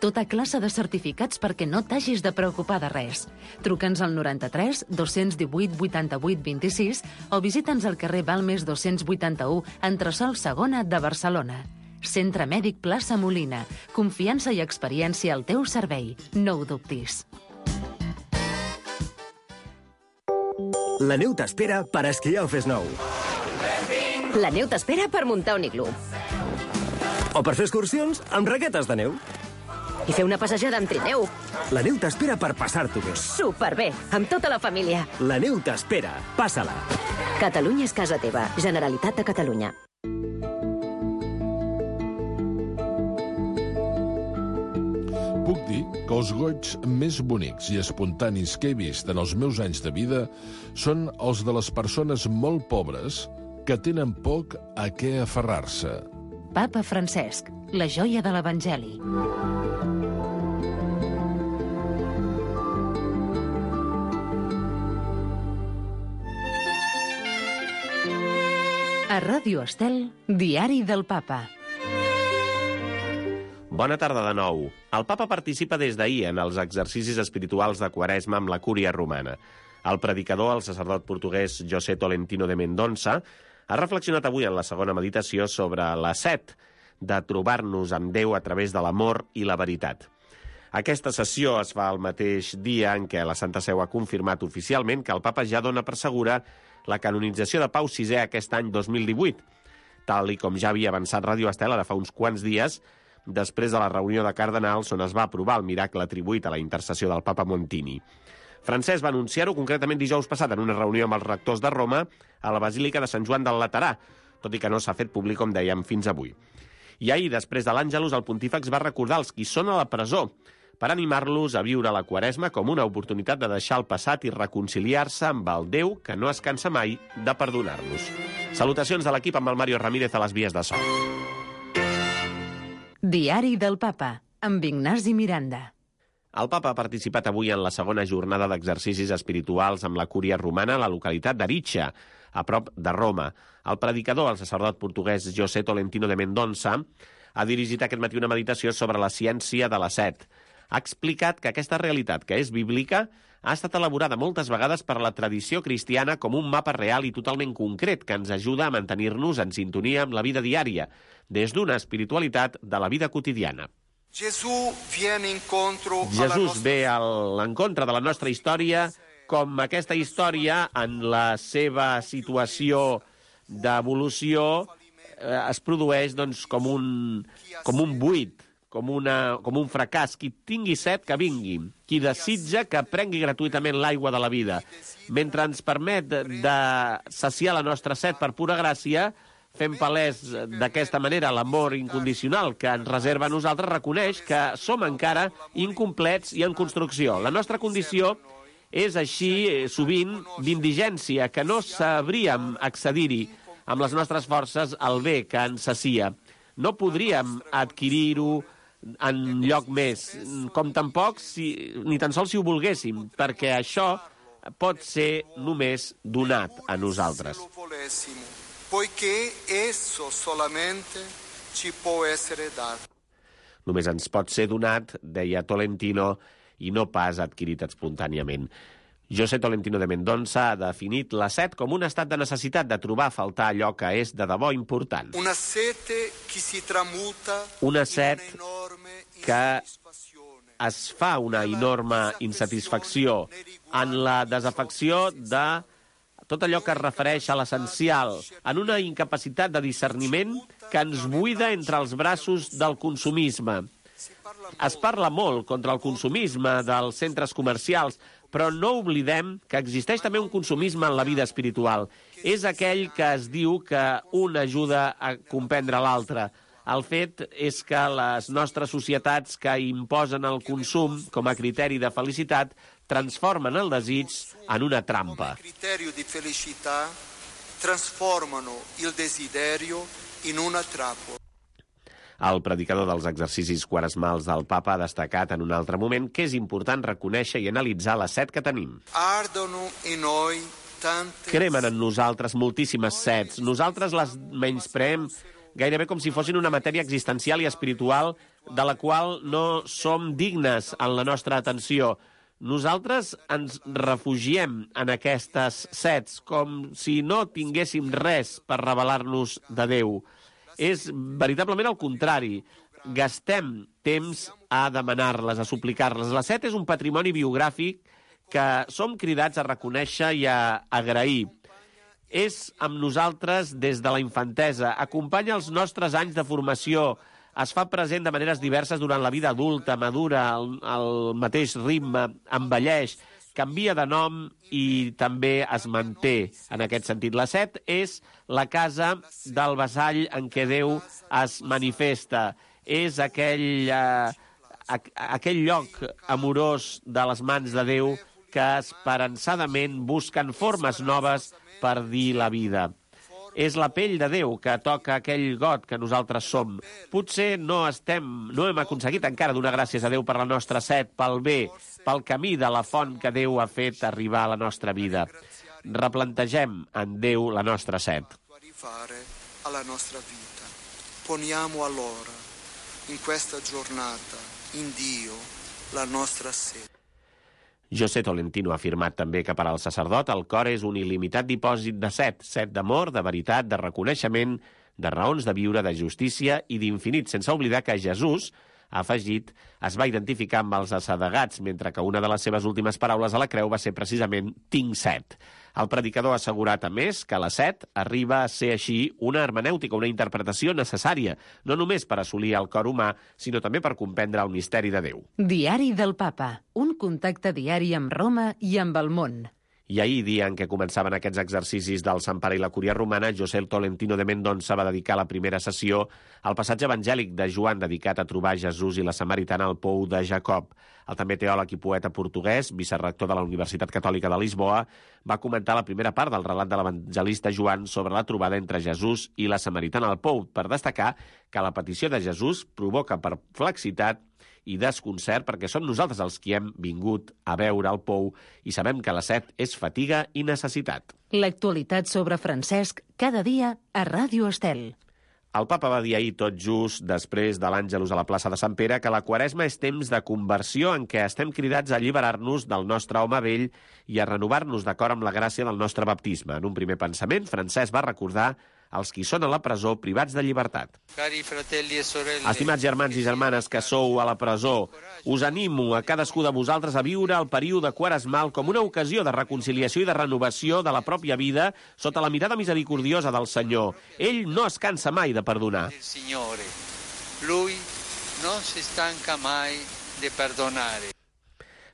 Tota classe de certificats perquè no t'hagis de preocupar de res. Truca'ns al 93 218 88 26 o visita'ns al carrer Balmes 281, entresòl Segona de Barcelona. Centre Mèdic Plaça Molina. Confiança i experiència al teu servei. No ho dubtis. La neu t'espera per esquiar al Fes-Nou. La neu t'espera per muntar un iglú. O per fer excursions amb raquetes de neu. I fer una passejada amb trineu. La neu t'espera per passar-t'ho bé. Superbé, amb tota la família. La neu t'espera. Passa-la. Catalunya és casa teva. Generalitat de Catalunya. Puc dir que els goigs més bonics i espontanis que he vist en els meus anys de vida són els de les persones molt pobres que tenen poc a què aferrar-se. Papa Francesc, la joia de l'Evangeli. A Ràdio Estel, Diari del Papa. Bona tarda de nou. El papa participa des d'ahir en els exercicis espirituals de Quaresma amb la Cúria Romana. El predicador, el sacerdot portuguès José Tolentino de Mendonça, ha reflexionat avui en la segona meditació sobre la set de trobar-nos amb Déu a través de l'amor i la veritat. Aquesta sessió es fa el mateix dia en què la Santa Seu ha confirmat oficialment que el papa ja dona per segura la canonització de Pau VI aquest any 2018, tal i com ja havia avançat Ràdio Estel ara fa uns quants dies, després de la reunió de cardenals on es va aprovar el miracle atribuït a la intercessió del papa Montini. Francesc va anunciar-ho concretament dijous passat en una reunió amb els rectors de Roma a la Basílica de Sant Joan del Laterà, tot i que no s'ha fet públic, com dèiem, fins avui. I ahir, després de l'Àngelus, el pontífex va recordar els qui són a la presó per animar-los a viure la Quaresma com una oportunitat de deixar el passat i reconciliar-se amb el Déu que no es cansa mai de perdonar-los. Salutacions de l'equip amb el Mario Ramírez a les vies de so. Diari del Papa, amb Ignasi Miranda. El papa ha participat avui en la segona jornada d'exercicis espirituals amb la Cúria Romana a la localitat d'Aritxa, a prop de Roma. El predicador, el sacerdot portuguès José Tolentino de Mendonça, ha dirigit aquest matí una meditació sobre la ciència de la set. Ha explicat que aquesta realitat, que és bíblica, ha estat elaborada moltes vegades per la tradició cristiana com un mapa real i totalment concret que ens ajuda a mantenir-nos en sintonia amb la vida diària, des d'una espiritualitat de la vida quotidiana. Jesús ve a l'encontre de la nostra història com aquesta història en la seva situació d'evolució es produeix doncs, com un buit, com un fracàs. Qui tingui set, que vingui. Qui desitja, que prengui gratuïtament l'aigua de la vida. Mentre ens permet de saciar la nostra set per pura gràcia, fem palès d'aquesta manera l'amor incondicional que ens reserva a nosaltres, reconeix que som encara incomplets i en construcció. La nostra condició és així, sovint, d'indigència, que no sabríem accedir-hi amb les nostres forces al bé que ens sacia. No podríem adquirir-ho en lloc més, com tampoc ni tan sols si ho volguéssim, perquè això pot ser només donat a nosaltres. Només ens pot ser donat, deia Tolentino, i no pas adquirit espontàniament. José Tolentino de Mendonça ha definit la set com un estat de necessitat de trobar a faltar allò que és de debò important. Una set que es fa una enorme insatisfacció en la desafecció de tot allò que es refereix a l'essencial, en una incapacitat de discerniment que ens buida entre els braços del consumisme. Es parla molt contra el consumisme dels centres comercials, però no oblidem que existeix també un consumisme en la vida espiritual. És aquell que es diu que un ajuda a comprendre l'altre. El fet és que les nostres societats que imposen el consum com a criteri de felicitat transformen el desig en una trampa. Com a criteri de felicitat transformen el desiderio en una trampa. El predicador dels exercicis quaresmals del papa ha destacat en un altre moment que és important reconèixer i analitzar la set que tenim. Cremen en nosaltres moltíssimes sets. Nosaltres les menyspreem gairebé com si fossin una matèria existencial i espiritual de la qual no som dignes en la nostra atenció. Nosaltres ens refugiem en aquestes sets com si no tinguéssim res per revelar-nos de Déu. És veritablement el contrari. Gastem temps a demanar-les, a suplicar-les. La set és un patrimoni biogràfic que som cridats a reconèixer i a agrair. És amb nosaltres des de la infantesa, acompanya els nostres anys de formació, es fa present de maneres diverses durant la vida adulta, madura, al mateix ritme, envelleix, canvia de nom i també es manté en aquest sentit. La set és la casa del vassall en què Déu es manifesta. És aquell lloc amorós de les mans de Déu que esperançadament busquen formes noves per dir la vida. És la pell de Déu que toca aquell got que nosaltres som. Potser no hem aconseguit encara donar gràcies a Déu per la nostra set, pel bé, pel camí de la font que Déu ha fet arribar a la nostra vida. Replantegem en Déu la nostra set. Alla nostra vita. Poniamo allora in questa giornata in Dio la nostra sete. José Tolentino ha afirmat també que per al sacerdot el cor és un il·limitat dipòsit de set d'amor, de veritat, de reconeixement, de raons de viure, de justícia i d'infinit, sense oblidar que Jesús, ha afegit, es va identificar amb els assedegats, mentre que una de les seves últimes paraules a la creu va ser precisament «tinc set». El predicador ha assegurat, a més, que la set arriba a ser així una hermenèutica, una interpretació necessària, no només per assolir el cor humà, sinó també per comprendre el misteri de Déu. Diari del Papa, un contacte diari amb Roma i amb el món. I ahir, dia en què començaven aquests exercicis del Sant Pare i la Cúria Romana, José Tolentino de Mendonça va dedicar la primera sessió al passatge evangèlic de Joan dedicat a trobar Jesús i la Samaritana al pou de Jacob. El també teòleg i poeta portuguès, vicerrector de la Universitat Catòlica de Lisboa, va comentar la primera part del relat de l'evangelista Joan sobre la trobada entre Jesús i la Samaritana al pou, per destacar que la petició de Jesús provoca perplexitat i desconcert perquè som nosaltres els qui hem vingut a veure el pou i sabem que la set és fatiga i necessitat. L'actualitat sobre Francesc cada dia a Ràdio Estel. El papa va dir ahir tot just després de l'Àngelus a la plaça de Sant Pere que la Quaresma és temps de conversió en què estem cridats a alliberar-nos del nostre home vell i a renovar-nos d'acord amb la gràcia del nostre baptisme. En un primer pensament, Francesc va recordar els qui són a la presó privats de llibertat. Estimats germans i germanes que sou a la presó, us animo a cadascú de vosaltres a viure el període quaresmal com una ocasió de reconciliació i de renovació de la pròpia vida sota la mirada misericordiosa del Senyor. Ell no es cansa mai de perdonar. Lui non si stanca mai de perdonare.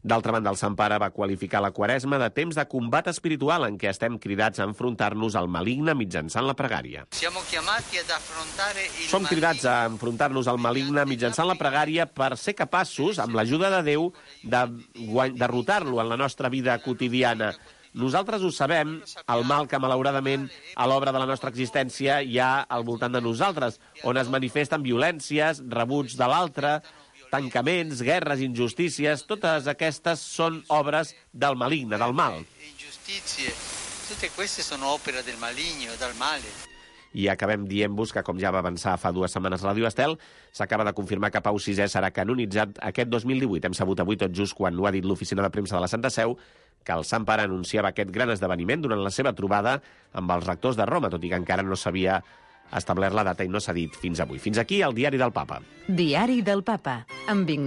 D'altra banda, el Sant Pare va qualificar la Quaresma de temps de combat espiritual en què estem cridats a enfrontar-nos al maligne mitjançant la pregària. Som cridats a enfrontar-nos al maligne mitjançant la pregària per ser capaços, amb l'ajuda de Déu, de derrotar-lo en la nostra vida quotidiana. Nosaltres ho sabem, el mal que malauradament a l'obra de la nostra existència hi ha al voltant de nosaltres, on es manifesten violències, rebuig de l'altre, tancaments, guerres, injustícies, totes aquestes són obres del maligne, del mal. Tutte queste sono opere del maligno, del male. I acabem dient-vos que, com ja va avançar fa 2 setmanes Ràdio Estel, s'acaba de confirmar que Pau VI serà canonitzat aquest 2018. Hem sabut avui tot just quan ho ha dit l'oficina de premsa de la Santa Seu, que el Sant Pare anunciava aquest gran esdeveniment durant la seva trobada amb els rectors de Roma, tot i que encara no s'havia establert la data i no s'ha dit fins avui. Fins aquí el Diari del Papa. Diari del Papa, amb Ignasi